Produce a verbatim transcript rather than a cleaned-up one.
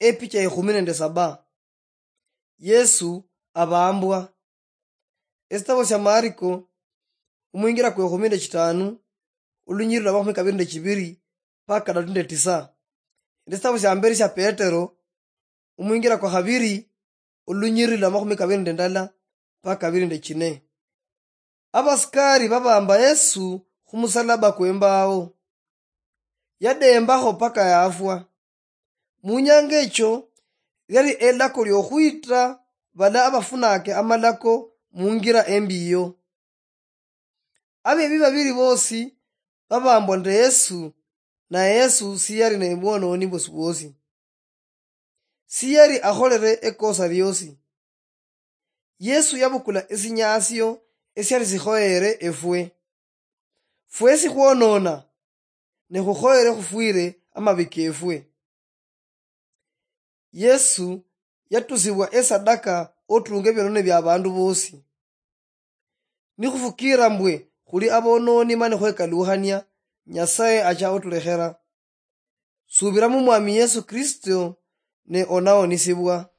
Epicha ekhumi nende saba. Yesu abambwa. Esitabo sia Mariko, omwingira kwa ekhumi nende chitanu, olunyiriri lwa makhumi kabiri nende chibiri mpaka kadatu nende tisa. Nende esitabo sia mberi sia Petero, omwingira kwa khabiri, olunyiriri lwa makhumi kabiri nende ndala mpaka kabiri nende chine. Abasikari babamba Yesu khumusalaba kwembao. Yadembakho paka yafwa. Munyanga echo, yali elako liokhwita bala abafunake amalako mungira embi iyo. Abebi babiri bosi babambwa nende Yesu, na Yesu siyali ne bwononi bwosi bwosi. Siyali akholere ekosa liosi. Yesu yabukula esinyasio esiali sikhoyere efwe. Fwesi khwonona, ne khukhoyere khufwire amabi kefwe. Yesu yatusibwa esadaka otunge ebionone bia abandu bosi. Nikhufukira mbwe khuli abononi mani khwekalukhania, Nyasaye acha otulekhera. Subira mu Mwami Yesu Kristo ne onaonisibwa.